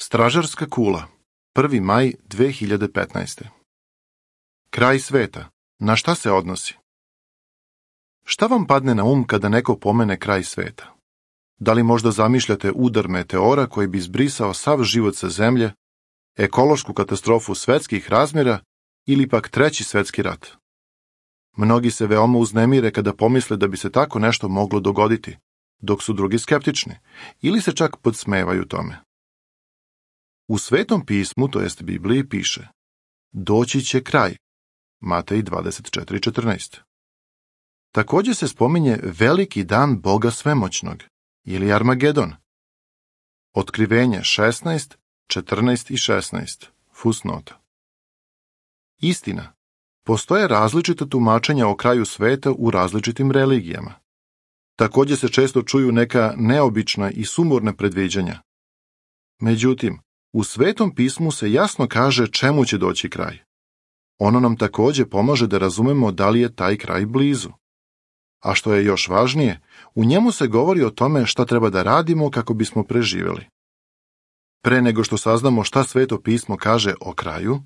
Stražarska kula, 1. maj 2015. Kraj sveta. Na šta se odnosi? Šta vam padne na kada neko pomene kraj sveta? Da li možda zamišljate udar meteora koji bi izbrisao sav život sa zemlje, ekološku katastrofu svetskih razmjera ili pak Treći svetski rat? Mnogi se veoma uznemire kada pomisle da bi se tako nešto moglo dogoditi, dok su drugi skeptični ili se čak podsmevaju tome. U Svetom pismu, to jest Bibliji, piše: doći će kraj. Matej 24:14. Također se spominje veliki dan Boga svemoćnog, ili Armagedon. Otkrivenje 16, 14 i 16. Fusnota. Istina. Postoje različita tumačenja o kraju sveta u različitim religijama. Također se često čuju neka neobična i sumorna predviđanja. Međutim, u Svetom pismu se jasno kaže čemu će doći kraj. Ono nam također pomaže da razumemo da li je taj kraj blizu. A što je još važnije, u njemu se govori o tome šta treba da radimo kako bismo preživjeli. Pre nego što saznamo šta Sveto pismo kaže o kraju,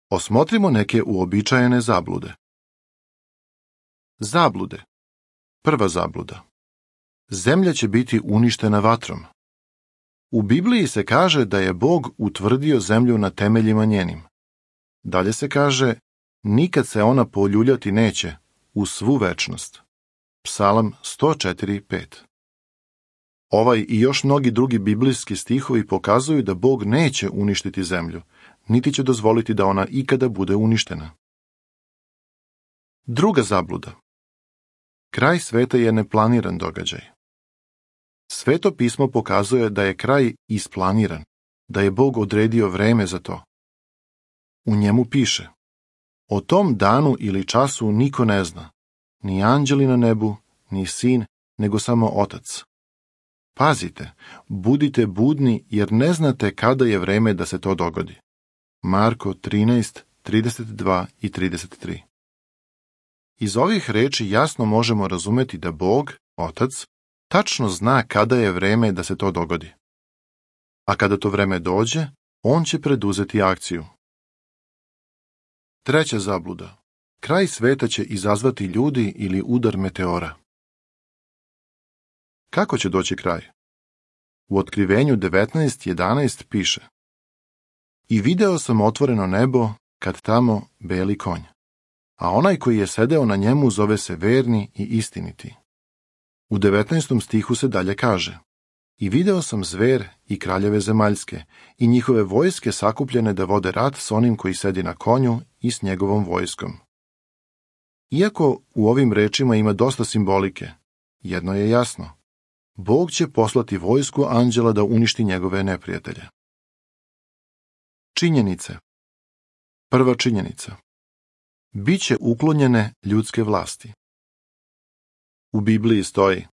osmotrimo neke uobičajene zablude. Zablude. Prva zabluda. Zemlja će biti uništena vatrom. U Bibliji se kaže da je Bog utvrdio zemlju na temeljima njenim. Dalje se kaže: nikad se ona poljuljati neće u svu večnost. Psalam 104:5. Ovaj i još mnogi drugi biblijski stihovi pokazuju da Bog neće uništiti zemlju, niti će dozvoliti da ona ikada bude uništena. Druga zabluda. Kraj sveta je neplaniran događaj. Sveto pismo pokazuje da je kraj isplaniran, da je Bog odredio vreme za to. U njemu piše: o tom danu ili času niko ne zna, ni anđeli na nebu, ni sin, nego samo Otac. Pazite, budite budni jer ne znate kada je vreme da se to dogodi. Marko 13:32 i 33. Iz ovih reči jasno možemo razumeti da Bog, Otac, tačno zna kada je vreme da se to dogodi. A kada to vreme dođe, on će preduzeti akciju. Treća zabluda. Kraj sveta će izazvati ljudi ili udar meteora. Kako će doći kraj? U Otkrivenju 19:11 piše: i video sam otvoreno nebo, kad tamo beli konj, a onaj koji je sedeo na njemu zove se verni i istiniti. U 19. stihu se dalje kaže: i video sam zver i kraljeve zemaljske i njihove vojske sakupljene da vode rat s onim koji sedi na konju i s njegovom vojskom. Iako u ovim rečima ima dosta simbolike, jedno je jasno: Bog će poslati vojsku anđela da uništi njegove neprijatelje. Činjenice. Prva činjenica. Biće uklonjene ljudske vlasti. U Bibliji stoji: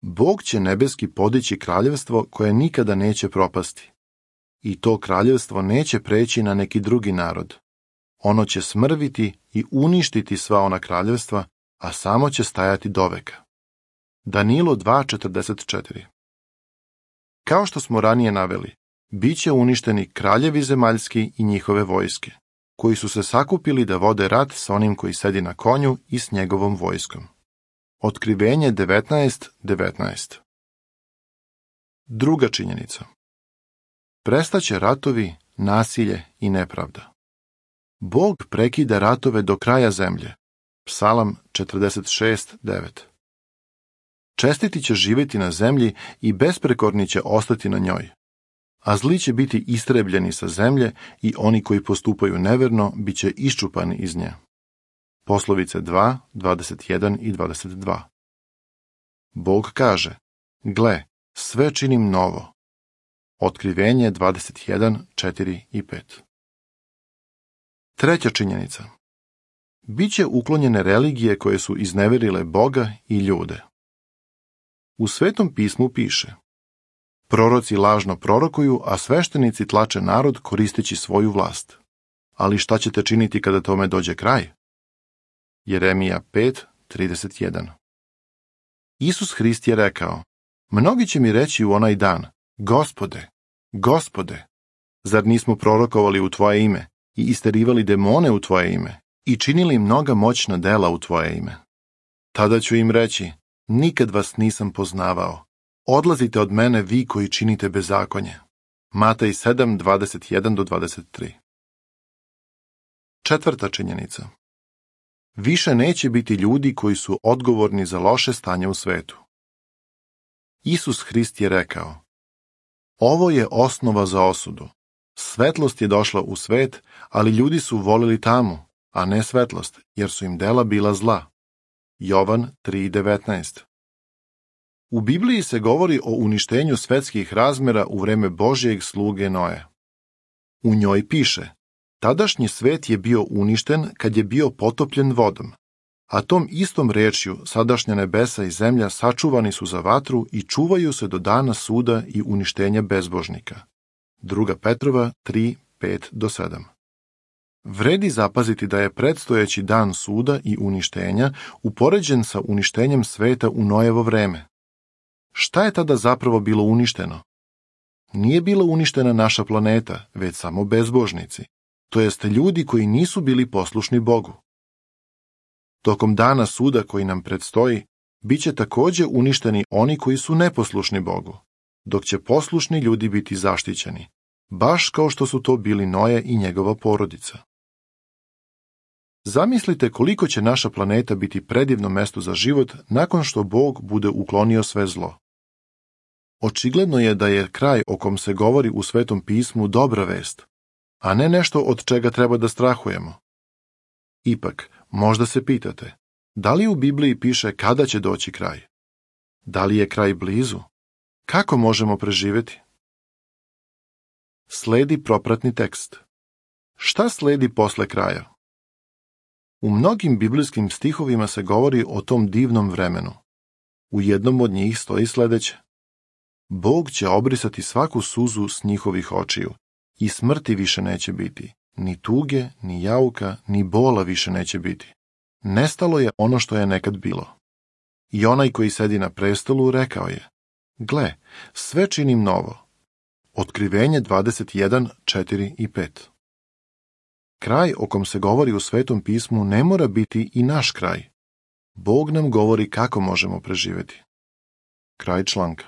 Bog će nebeski podići kraljevstvo koje nikada neće propasti. I to kraljevstvo neće preći na neki drugi narod. Ono će smrviti i uništiti sva ona kraljevstva, a samo će stajati doveka. Danilo 2:44. Kao što smo ranije naveli, bit će uništeni kraljevi zemaljski i njihove vojske, koji su se sakupili da vode rat s onim koji sedi na konju i s njegovom vojskom. Otkrivenje 19:19. Druga činjenica. Prestaće ratovi, nasilje i nepravda. Bog prekida ratove do kraja zemlje. Psalam 46:9. Čestiti će živjeti na zemlji i besprekorni će ostati na njoj. A zli će biti istrebljeni sa zemlje i oni koji postupaju neverno bit će iščupani iz nje. Poslovice 2:21 i 22. Bog kaže: gle, sve činim novo. Otkrivenje 21:4 i 5. Treća činjenica. Biće uklonjene religije koje su izneverile Boga i ljude. U Svetom pismu piše: proroci lažno prorokuju, a sveštenici tlače narod koristeći svoju vlast. Ali šta ćete činiti kada tome dođe kraj? Jeremija 5:31. Isus Hrist je rekao: mnogi će mi reći u onaj dan: Gospode, Gospode, Zar nismo prorokovali u tvoje ime i isterivali demone u tvoje ime i činili mnoga moćna dela u tvoje ime? Tada ću im reći, nikad vas nisam poznavao. Odlazite od mene vi koji činite bezakonje. Matej 7:21-23. Četvrta činjenica. Više neće biti ljudi koji su odgovorni za loše stanje u svetu. Isus Hrist je rekao, ovo je osnova za osudu. Svetlost je došla u svet, ali ljudi su volili tamu, a ne svetlost, jer su im dela bila zla. Jovan 3:19. U Bibliji se govori o uništenju svetskih razmera u vreme Božjeg sluge Noe. U njoj piše, tadašnji svet je bio uništen kad je bio potopljen vodom, a tom istom rečju sadašnja nebesa i zemlja sačuvani su za vatru i čuvaju se do dana suda i uništenja bezbožnika. 2. Petrova 3:5-7. Vredi zapaziti da je predstojeći dan suda i uništenja upoređen sa uništenjem sveta u Noevo vreme. Šta je tada zapravo bilo uništeno? Nije bila uništena naša planeta, već samo bezbožnici, to jest ljudi koji nisu bili poslušni Bogu. Tokom dana suda koji nam predstoji, bit će također uništeni oni koji su neposlušni Bogu, dok će poslušni ljudi biti zaštićeni, baš kao što su to bili Noe i njegova porodica. Zamislite koliko će naša planeta biti predivno mesto za život nakon što Bog bude uklonio sve zlo. Očigledno je da je kraj o kom se govori u Svetom pismu dobra vest, a ne nešto od čega treba da strahujemo. Ipak, možda se pitate, da li u Bibliji piše kada će doći kraj? Da li je kraj blizu? Kako možemo preživjeti? Sledi propratni tekst. Šta sledi posle kraja? U mnogim biblijskim stihovima se govori o tom divnom vremenu. U jednom od njih stoji sledeće. Bog će obrisati svaku suzu s njihovih očiju i smrti više neće biti, ni tuge, ni jauka, ni bola više neće biti. Nestalo je ono što je nekad bilo. I onaj koji sedi na prestolu rekao je, gle, sve činim novo. Otkrivenje 21:4 i 5. Kraj o kom se govori u Svetom pismu ne mora biti i naš kraj. Bog nam govori kako možemo preživjeti. Kraj članka.